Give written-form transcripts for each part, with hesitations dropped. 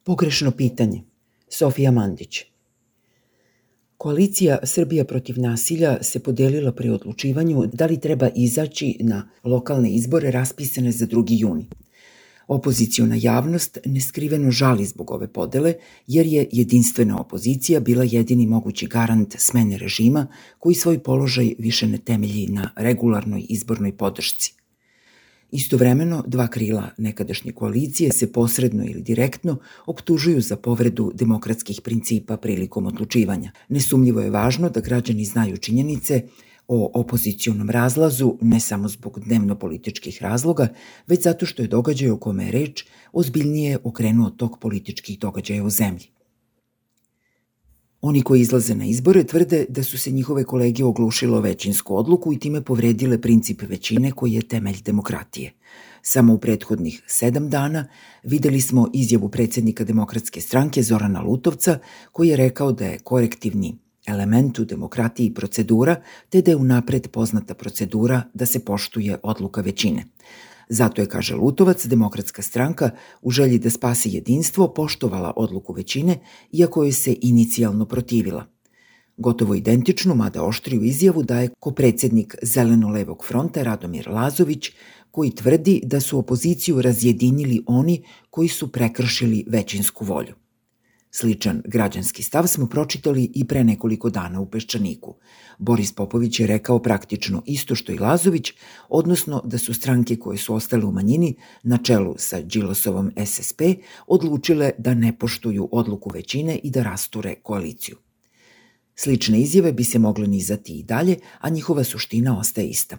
Pogrešno pitanje. Sofija Mandić. Koalicija Srbija protiv nasilja se podelila pri odlučivanju da li treba izaći na lokalne izbore raspisane za 2. juni. Opoziciona javnost neskriveno žali zbog ove podele, jer je jedinstvena opozicija bila jedini mogući garant smene režima koji svoj položaj više ne temelji na regularnoj izbornoj podršci. Istovremeno, dva krila nekadašnje koalicije se posredno ili direktno optužuju za povredu demokratskih principa prilikom odlučivanja. Nesumnjivo je važno da građani znaju činjenice o opozicionom razlazu ne samo zbog dnevno-političkih razloga, već zato što je događaj o kome je reč ozbiljnije okrenuo tok političkih događaja u zemlji. Oni koji izlaze na izbore tvrde da su se njihove kolege oglušile o većinsku odluku i time povredile princip većine koji je temelj demokratije. Samo u prethodnih 7 dana videli smo izjavu predsjednika Demokratske stranke Zorana Lutovca koji je rekao da je korektivni element u demokratiji procedura, te da je unapred poznata procedura da se poštuje odluka većine. Zato je, kaže Lutovac, Demokratska stranka u želji da spasi jedinstvo poštovala odluku većine, iako joj se inicijalno protivila. Gotovo identičnu, mada oštriju izjavu daje kopredsjednik Zeleno-levog fronta Radomir Lazović, koji tvrdi da su opoziciju razjedinili oni koji su prekršili većinsku volju. Sličan građanski stav smo pročitali i pre nekoliko dana u Peščaniku. Boris Popović je rekao praktično isto što i Lazović, odnosno da su stranke koje su ostale u manjini, na čelu sa Đilasovom SSP, odlučile da ne poštuju odluku većine i da rasture koaliciju. Slične izjave bi se mogle nizati i dalje, a njihova suština ostaje ista.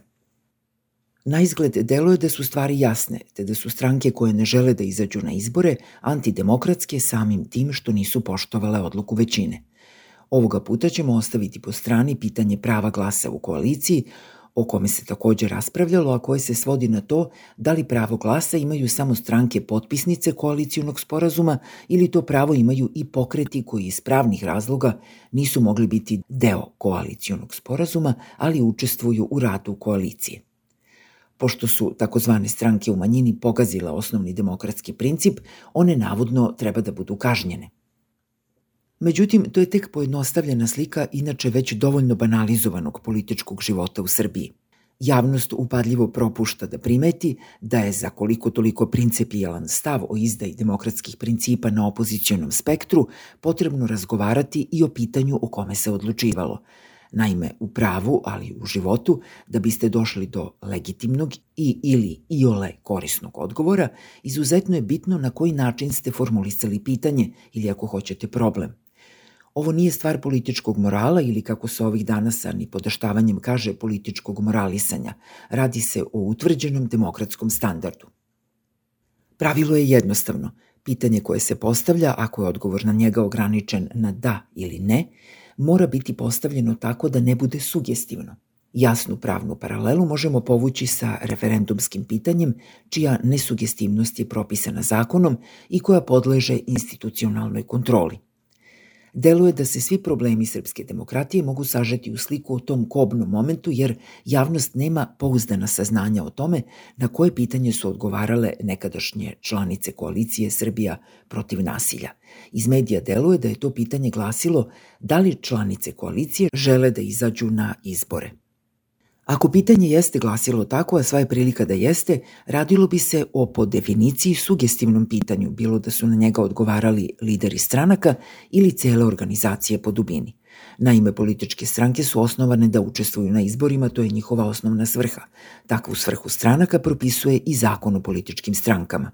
Naizgled deluje da su stvari jasne, te da su stranke koje ne žele da izađu na izbore antidemokratske samim tim što nisu poštovale odluku većine. Ovoga puta ćemo ostaviti po strani pitanje prava glasa u koaliciji, o kome se također raspravljalo, a koje se svodi na to da li pravo glasa imaju samo stranke potpisnice koalicionog sporazuma ili to pravo imaju i pokreti koji iz pravnih razloga nisu mogli biti deo koalicionog sporazuma, ali učestvuju u radu koalicije. Pošto su takozvane stranke u manjini pogazile osnovni demokratski princip, one navodno treba da budu kažnjene. Međutim, to je tek pojednostavljena slika inače već dovoljno banalizovanog političkog života u Srbiji. Javnost upadljivo propušta da primeti da je za koliko toliko principijelan stav o izdaji demokratskih principa na opozicionom spektru potrebno razgovarati i o pitanju o kome se odlučivalo. Naime, u pravu, ali i u životu, da biste došli do legitimnog ili iole korisnog odgovora, izuzetno je bitno na koji način ste formulisali pitanje ili ako hoćete problem. Ovo nije stvar političkog morala ili, kako se ovih dana sa nipodaštavanjem kaže, političkog moralisanja. Radi se o utvrđenom demokratskom standardu. Pravilo je jednostavno. Pitanje koje se postavlja, ako je odgovor na njega ograničen na da ili ne, mora biti postavljeno tako da ne bude sugestivno. Jasnu pravnu paralelu možemo povući sa referendumskim pitanjem, čija nesugestivnost je propisana zakonom i koja podleže institucionalnoj kontroli. Deluje da se svi problemi srpske demokratije mogu sažeti u sliku o tom kobnom momentu, jer javnost nema pouzdana saznanja o tome na koje pitanje su odgovarale nekadašnje članice koalicije Srbija protiv nasilja. Iz medija deluje da je to pitanje glasilo da li članice koalicije žele da izađu na izbore. Ako pitanje jeste glasilo tako, a sva je prilika da jeste, radilo bi se o po definiciji sugestivnom pitanju, bilo da su na njega odgovarali lideri stranaka ili cele organizacije po dubini. Naime, političke stranke su osnovane da učestvuju na izborima, to je njihova osnovna svrha. Takvu svrhu stranaka propisuje i Zakon o političkim strankama.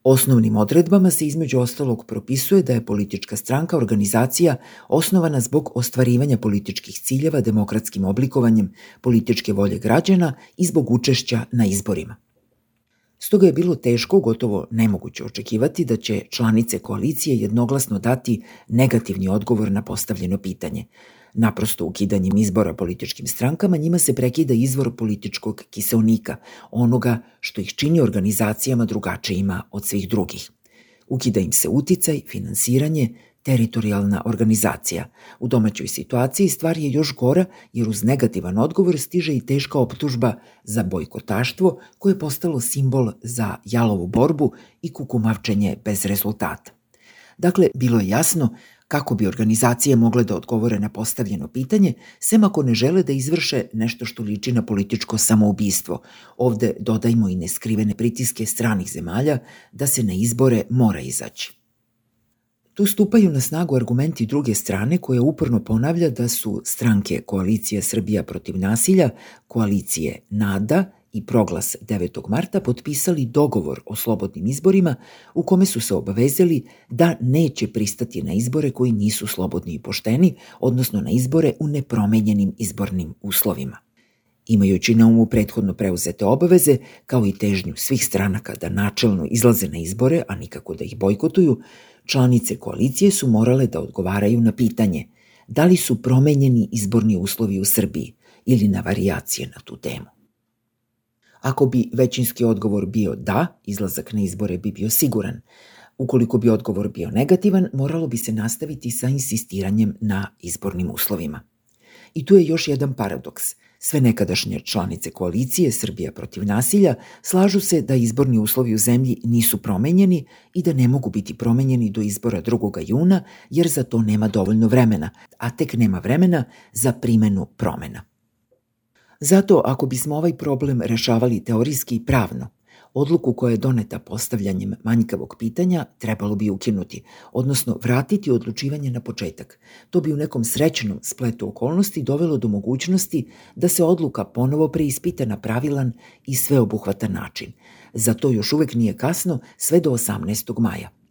Osnovnim odredbama se između ostalog propisuje da je politička stranka organizacija osnovana zbog ostvarivanja političkih ciljeva demokratskim oblikovanjem političke volje građana i zbog učešća na izborima. Stoga je bilo teško, gotovo nemoguće očekivati da će članice koalicije jednoglasno dati negativni odgovor na postavljeno pitanje. Naprosto ukidanjem izbora političkim strankama njima se prekida izvor političkog kiseonika, onoga što ih čini organizacijama drugačijima od svih drugih. Ukida im se uticaj, finansiranje, teritorijalna organizacija. U domaćoj situaciji stvar je još gora jer uz negativan odgovor stiže i teška optužba za bojkotaštvo koje je postalo simbol za jalovu borbu i kukumavčenje bez rezultata. Dakle, bilo je jasno kako bi organizacije mogle da odgovore na postavljeno pitanje, sem ako ne žele da izvrše nešto što liči na političko samoubistvo. Ovde dodajmo i neskrivene pritiske stranih zemalja da se na izbore mora izaći. Tu stupaju na snagu argumenti druge strane koja uporno ponavlja da su stranke Koalicija Srbija protiv nasilja, Koalicije NADA i Proglas 9. marta potpisali dogovor o slobodnim izborima u kome su se obavezali da neće pristati na izbore koji nisu slobodni i pošteni, odnosno na izbore u nepromenjenim izbornim uslovima. Imajući na umu prethodno preuzete obaveze, kao i težnju svih stranaka da načelno izlaze na izbore, a nikako da ih bojkotuju, članice koalicije su morale da odgovaraju na pitanje da li su promenjeni izborni uslovi u Srbiji ili na varijacije na tu temu. Ako bi većinski odgovor bio da, izlazak na izbore bi bio siguran. Ukoliko bi odgovor bio negativan, moralo bi se nastaviti sa insistiranjem na izbornim uslovima. I tu je još jedan paradoks. Sve nekadašnje članice koalicije Srbija protiv nasilja slažu se da izborni uslovi u zemlji nisu promenjeni i da ne mogu biti promenjeni do izbora 2. juna jer za to nema dovoljno vremena, a tek nema vremena za primenu promena. Zato, ako bismo ovaj problem rešavali teorijski i pravno, odluku koja je doneta postavljanjem manjkavog pitanja trebalo bi ukinuti, odnosno vratiti odlučivanje na početak. To bi u nekom srećnom spletu okolnosti dovelo do mogućnosti da se odluka ponovo preispita na pravilan i sveobuhvatan način. Za to još uvek nije kasno sve do 18. maja.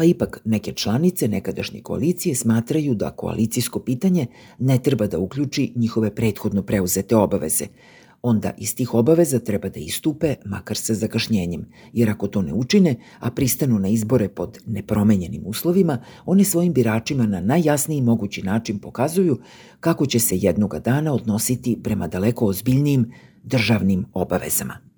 Pa ipak neke članice nekadašnje koalicije smatraju da koalicijsko pitanje ne treba da uključi njihove prethodno preuzete obaveze. Onda iz tih obaveza treba da istupe, makar sa zakašnjenjem, jer ako to ne učine, a pristanu na izbore pod nepromenjenim uslovima, one svojim biračima na najjasniji mogući način pokazuju kako će se jednoga dana odnositi prema daleko ozbiljnijim državnim obavezama.